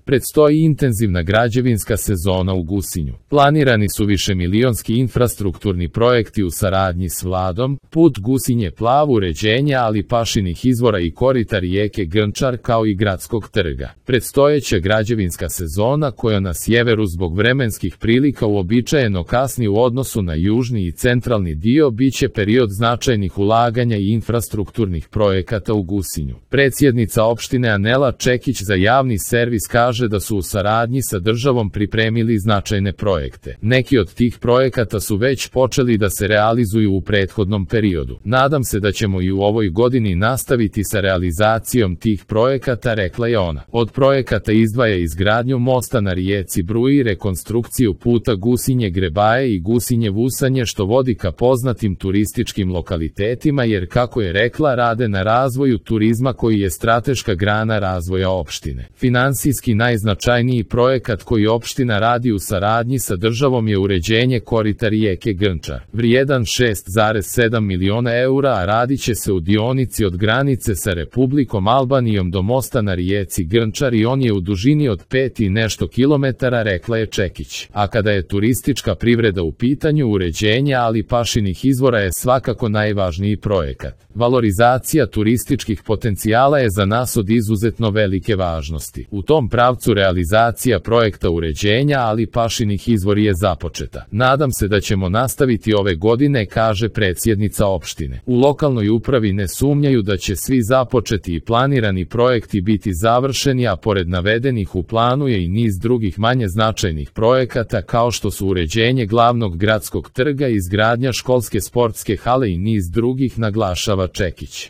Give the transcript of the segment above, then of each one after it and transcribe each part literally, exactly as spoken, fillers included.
Predstoji intenzivna građevinska sezona u Gusinju. Planirani su višemilionski infrastrukturni projekti u saradnji s vladom, put Gusinje Plav, uređenje Alipašinih izvora i korita rijeke Grnčar kao i gradskog trga. Predstojeća građevinska sezona, koja na sjeveru zbog vremenskih prilika uobičajeno kasni u odnosu na južni i centralni dio, biće period značajnih ulaganja i infrastrukturnih projekata u Gusinju. Predsjednica opštine Anela Čekić za javni servis kaže da su u saradnji sa državom pripremili značajne projekte. Neki od tih projekata su već počeli da se realizuju u prethodnom periodu. Nadam se da ćemo i u ovoj godini nastaviti sa realizacijom tih projekata, rekla je ona. Od projekata izdvaja izgradnju mosta na rijeci Bruji, rekonstrukciju puta Gusinje-Grebaje i Gusinje-Vusanje, što vodi ka poznatim turističkim lokalitetima, jer, kako je rekla, rade na razvoju turizma koji je strateška grana razvoja opštine. Finansijski najznačajniji projekat koji opština radi u saradnji sa državom je uređenje korita rijeke Grnčar, vrijedan šest zarez sedam miliona eura, a radit će se u dionici od granice sa Republikom Albanijom do mosta na rijeci Grnčar i on je u dužini od pet i nešto kilometara, rekla je Čekić. A kada je turistička privreda u pitanju, uređenje Alipašinih izvora je svakako najvažniji projekat. Valorizacija turističkih potencijala je za nas od izuzetno velike važnosti. U tom pravcu realizacija projekta uređenja Alipašinih izvora je započeta. Nadam se da ćemo nastaviti ove godine, kaže predsjednica opštine. U lokalnoj upravi ne sumnjaju da će svi započeti i planirani projekti biti završeni, a pored navedenih u planu je i niz drugih manje značajnih projekata, kao što su uređenje glavnog gradskog trga, izgradnja školske sportske hale i niz drugih, naglašava Čekić.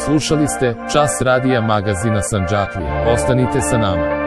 Slušali ste Čas radija magazina Sandžaklija. Ostanite sa nama.